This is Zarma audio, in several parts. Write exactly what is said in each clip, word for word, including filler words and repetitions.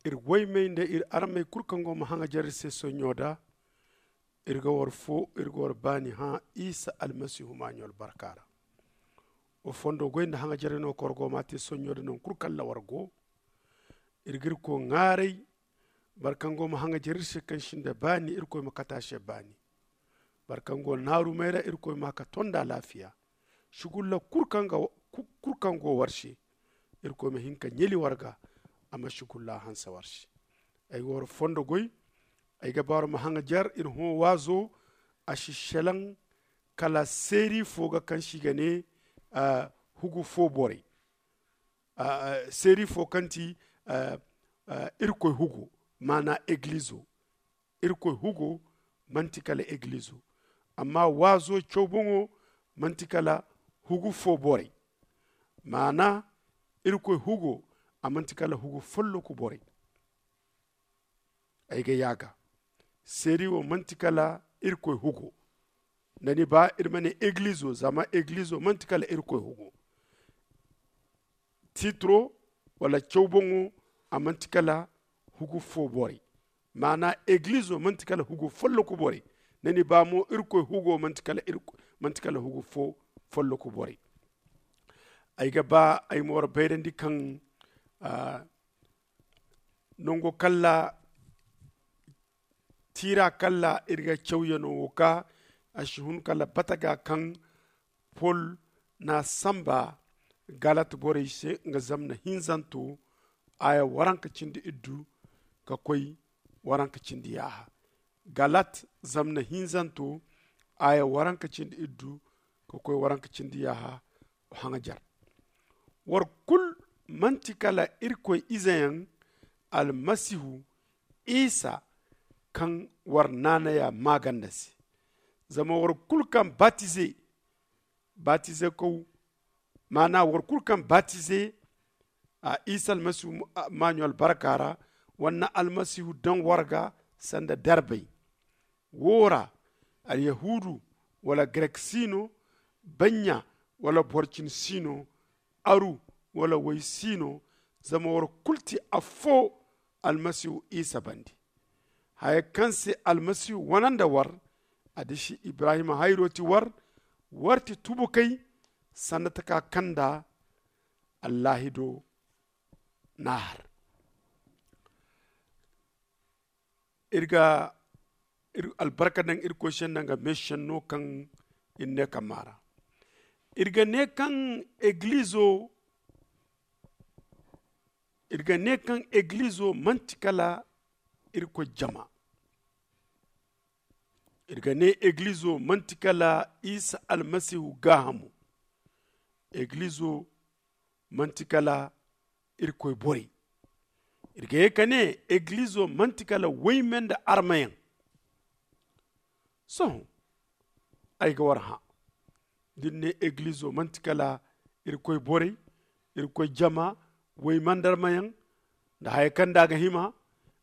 Iri waymey nda iri armey kulu kaŋ go ma haŋajer iri se sonɲo da. Iri ga war fo iri ga war baani hã isa almasihu maaɲo albarka ra. Wa fondo goy nda haŋajerey no kaŋ war go ma a te sonɲo da nangu kulu kaŋ ra war go. Iri ga irkoy ŋwaaray boro kaŋ go ma haŋajer iri se kaŋ sinda baani irkoy ma kate a se baani. Boro kaŋ go naarumey ra irkoy ma a ka tonda alaafiya. Sugulla kulu kaŋ go war se irkoy ma hin ka ɲali war ga. A ma sugulla hanse war se. Ay ga war fondo goy. Ay ga ba war ma haŋajer iri hõ waazo. A si selaŋ kala seeri fo ga kaŋ se i ga ne hugu fo borey. Seeri fo kaŋ ti irkoy hugo maana egilizo. Irkoy hugo manti kala egilizo. Amma waazo caw boŋo manti kala hugu fo borey. Maana irkoy hugo a manti kala hugu folloku borey. Ay ga yaaga seeri wo manti kala irkoy hugo. Nda ni ba iri ma ne egilizo zama egilizo manti kala irkoy hugo. Titiro wala caw boŋo a manti kala hugu fo borey. Maana egilizo manti kala hugu folloku borey. Nda ni ba mo irkoy hugo manti kala hugu fo folloku borey. Ay ga ba ay ma war bayrandi kaŋ nango kalla tiira kalla iri ga cawyano wo ga a si hun kala bataga kaŋ pol na samba galat borey se nga zamna hinzanto aya waranka cindi iddu ka koy waranka cindi yaaha. Galat zamna hinzanto aya waranka cindi iddu ka koy waranka cindi yaaha. Haŋajer war kulu manti kala irkoy izeyaŋ almasihu isa kaŋ war naanaya maaganda se. Zama war kulu kaŋ batize batize kaw maana war kulu kaŋ batize a isa almasihu maaɲo albarka ra war na almasihu daŋ war ga sanda darbay. Wo ra alyahuudu wala grek si no, banɲa wala boro cine si no, aru wala way si no, zama war kulu ti affo almasihu isa bande. Haya kaŋ se almasihu wane nda war a disi ibrahima hayro ti war. War ti tubukey sanda taka kaŋ nda allaahido na a har. Iri ga albarka daŋ irkoy se nda nga meesenno kaŋ iri ne kamma ra. Iri ga ne kaŋ egilizo iri ga ne kaŋ egilizo manti kala irkoy jama. Iri ga ne egilizo manti kala isa almasihu gaahamo. Egilizo manti kala irkoy borey. Iri ga ye ka ne egilizo manti kala wayme nda armayaŋ. Sohõ ay ga war hã da ni ne egilizo manti kala irkoy borey, irkoy jama, wayme nda armayaŋ nda haya kaŋ nda a ga hima.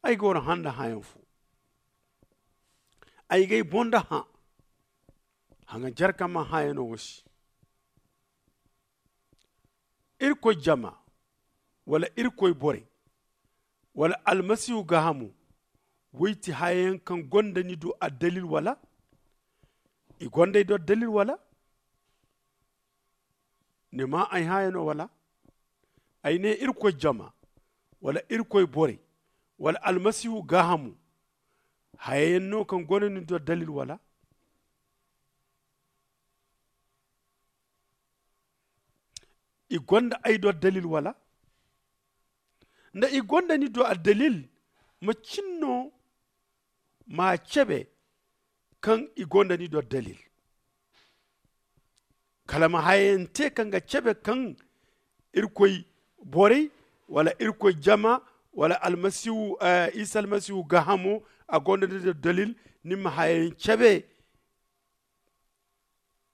Ay ga war hã nda hãyaŋ fo. Ay ga ay boŋ nda hã haŋajer kaŋ mana hãyano wo se. Irkoy jama wala irkoy borey wala almasihu gaahamo? Way ti hayayaŋ kaŋ gonda ni do addalil wala? I gonda ay do addalil wala? Ni maa ay haya no wala? Ay ne irkoy jama wala irkoy borey wala almasihu gaahamo? Hayayaŋ no kaŋ gonda ni do addalil wala? I gonda ay do addalil wala? Nda i gonda ni do addalil, macin no ma cabe kaŋ i gonda ni do addalil? Kala ma hayayaŋ te kaŋ ga cabe kaŋ irkoy borey wala irkoy jama wala almasihu isa almasihu gaahamo a gonda ni do addalil? Ni ma hayayaŋ cabe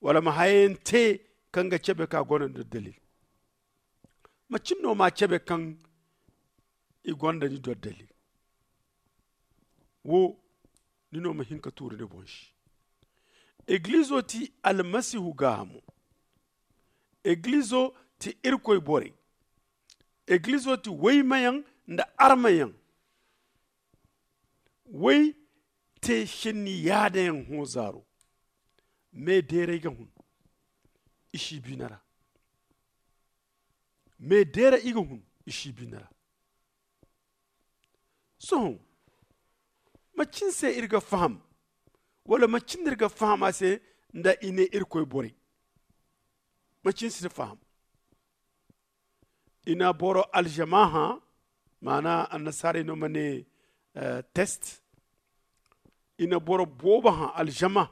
wala ma hayayaŋ te kaŋ ga cabe kaŋ a gonda ni do addalil? Macin no ma cabe kaŋ i gonda ni do addalil? Wo ni no ma hin ka tuuri ni boŋ se. Egilizo ti almasihu gaahamo. Egilizo ti irkoy borey. Egilizo ti waymayaŋ nda armayaŋ. Way te senni yaadayaŋ hõ zaaro. Me deeray ga hun i si biina ra. Me deeray i ga hun i si biina ra. Sohõ macin se iri ga faham wala macin no iri ga faham a se? Nda i ne irkoy borey macin si faham. I na boro alzama hã. Maana annasaarey no ma ne test. I na boro boobo hã alzama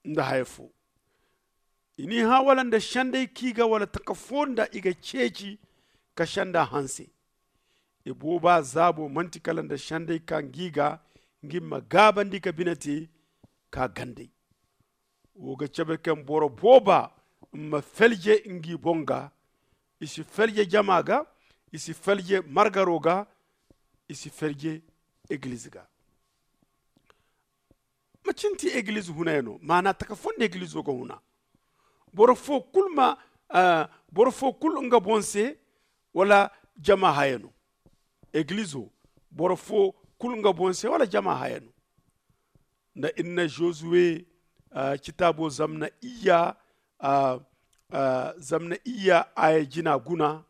nda haya fo. I n'i hã wala nda senday k'i ga wala taka fo nda i ga ceeci ka senda hanse. I booba zaabo manti kala nda senday ka ngi ga ngi ma gaabandi ka bine te ka gandey. Wo ga cabe kaŋ boro booba ma felje ngi boŋ ga. I si felje jama ga. I si felje margaro ga. I si felje egiliz ga. Macin ti egiliz huna yaŋ no maana taka fo nda egilizo ga huna. Boro fo kulu ma boro fo kulu nga boŋ se wala jama haya no. Egilizo boro fo kulu nga boŋ se wala jama haya no. Nda iri na josuwe citaabo zamna iyya zamna iyya aya jina guna.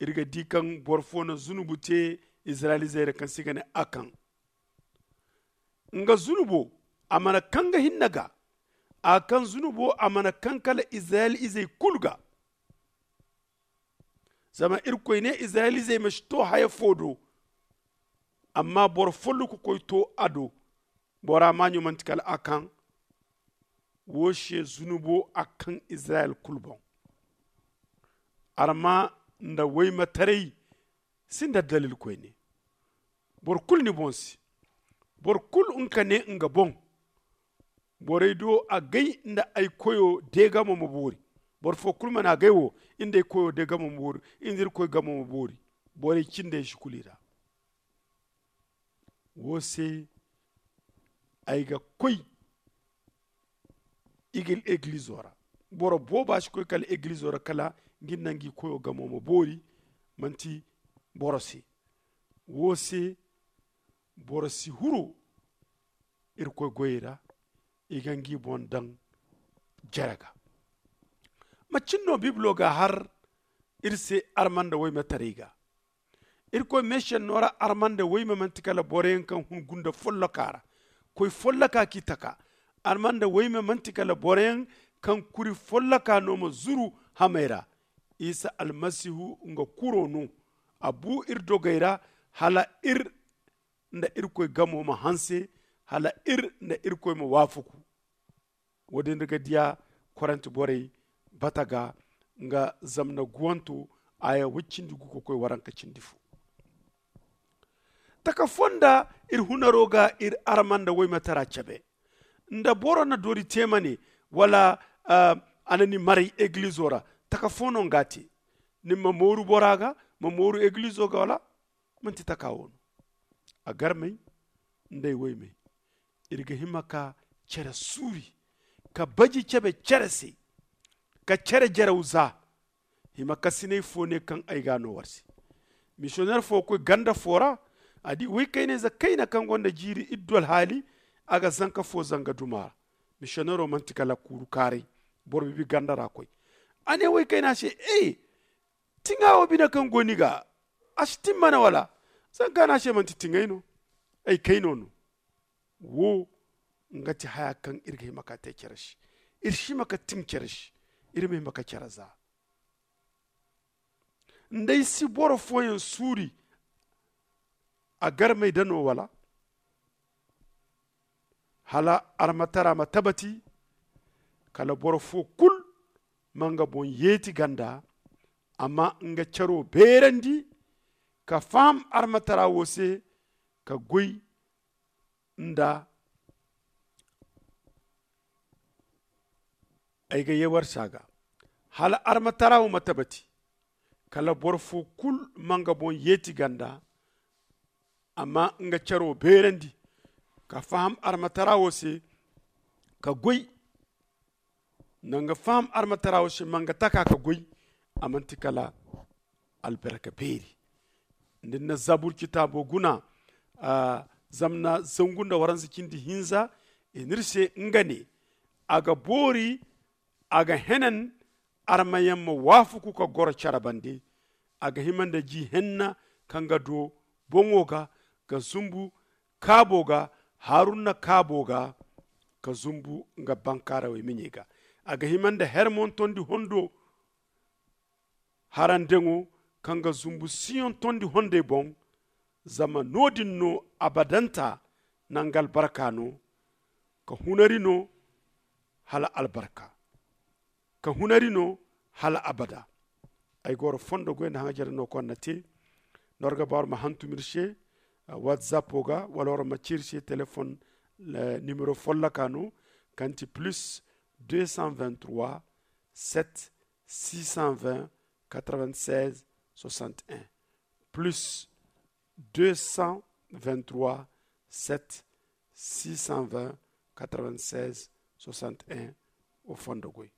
Iri ga di kaŋ boro fo na zunubu te izirayel izey ra kaŋ se i ga ne akan. Nga zunubo a mana kaŋ ga hinne ga. A kaŋ zunubo a mana kaŋ kala izirayel izey kulu ga. Zama irkoy ne izirayel izey ma si to haya fo do. Amma boro folloku koy to a do. Bora maaɲo manti kala a kaŋ wo se zunubo a kaŋ izirayel kulu boŋ. Arma nda waymataray sinda dalil koyne. Boro kulu ni boŋ se. Boro kulu nga ne nga boŋ. Borey do agay nda ay koyo deegamo ma boori. Boro fo kulu mana agay wo nda ay koyo deegamo ma boori. Nda irkoy gamo ma boori. Borey cindey si kulu i ra. Wo se ay ga koy. Egilizo ra boro booba si koy kala egilizo ra kala nga nda ngi koyo gamo ma boori. Manti boro se. Wo se boro si huru irkoy goyey ra. I ga ngi boŋ daŋ jere ga. Macin no bibilo ga har iri se arma nda waymataray ga. Irkoy meesenno ra arma nda wayme manti kala boroyaŋ kaŋ hun gunda folloka ra. Koy folloka k'i taka. Arma nda wayme manti kala boroyaŋ kaŋ kuri folloka no ma zuru hamey ra. Isa almasihu nga kuro no. A bu iri dogey ra hala iri nda irkoy gamo ma hanse hala iri nda irkoy ma waafaku. Wo- din iri ga diya korante borey bata ga nga zamna guwanto aya woy cindi gu ga koy waranka cindi fo. Taka fonda iri hunaro ga iri arma nda waymatara cabe. Nda boro na dori te ma ne wala a na ni maray egilizo ra taka fo no nga te? Ni ma mooru bora ga ma mooru egilizo ga wala? Manti taka wo no. A garmey nda ay waymey iri ga hima ka cere suuri ka baji cabe cere se ka cere jaraw za. Hima kasinay fo ne kaŋ ay ga a no war se. Misiyonner fo ga koy ganda fo ra a di woykaynayze kayna kaŋ gonda jiiri iddu alhaali. A ga zanka fo zanga duma ra. Misiyonnero manti kala kuuru kaaray. Boro bibi ganda ra koy a ne woykayna se e tiŋa wo bine kaŋ go ni ga a si timmana wala? Zanka no a se manti tiŋay no. Ay kayno no. Wo nga ti haya kaŋ iri ga hima ka te cere se. Iri si hima ka tiŋ cere se. Iri ma hima ka cere za. Nda ay si boro fooyaŋ suuri a garmey da no wala? Hala armatara ma tabati kala boro fo kulu ma nga boŋ yeeti ganda a ma nga caro beerandi ka faham armatara wo se ka goy nda ay ga ye war se a ga hala armatara wo ma tabati kala boro fo kulu ma nga boŋ yeeti ganda a ma nga caro beerandi ka faham armatara wo se ka goy. Nda nga faham armatara wo se ma nga taka ka goy a manti kala albarka beeri. Nda ni na zabur citaabo guna, zama na zangu nda waransa cindi hinza i n'iri se nga ne, a ga boori, a ga henan, armayaŋ ma waafaku ka goro care bande. A ga hima nda ji henna kaŋ ga do boŋo ga, ga zumbu kaabo ga, haruna kaabo ga, ka zumbu nga bankaarawey miɲey ga. A ga hima nda hermon tondi hondo harandeŋo, kaŋ ga zumbu siyoŋ tondi hondey boŋ. Zama no-din no abadanta nanga albarka no, ka hunari no hala albarka, ka hunari no hala abada. Ay ga wara fondo goy nda haŋajere no kaŋ wara na te. No wara ga ba wara ma hantum iri se, whatsapp o ga wala wara ma ci iri se telefon nimero folloka no, kaŋ ti plus deux cent vingt-trois, sept, six cent vingt, quatre-vingt-seize, soixante-un, plus deux cent vingt-trois, sept, six cent vingt, quatre-vingt-seize, soixante-un. O fondo goy.